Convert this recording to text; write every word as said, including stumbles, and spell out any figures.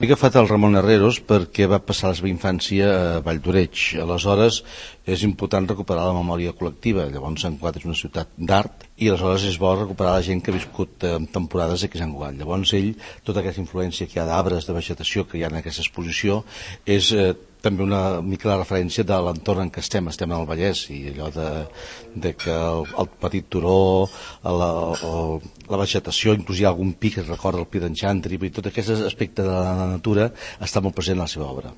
He agafat el Ramon Herreros perquè va passar la seva infància a Valldoreix. Aleshores és important recuperar la memòria col·lectiva. Llavors Sant Cugat és una ciutat d'art i aleshores és bo recuperar la gent que ha viscut en temporades aquí a Sant Cugat. Llavors ell, tota aquesta influència que hi ha d'arbres, de vegetació que hi ha en aquesta exposició, és eh, també una mica la referència de l'entorn en què estem, estem en el Vallès, i allò de, de que el, el petit turó, la, el, la vegetació, inclús hi ha algun pi que recorda el pi d'en Xantri, i tot aquest aspecte de la natura està molt present a la seva obra.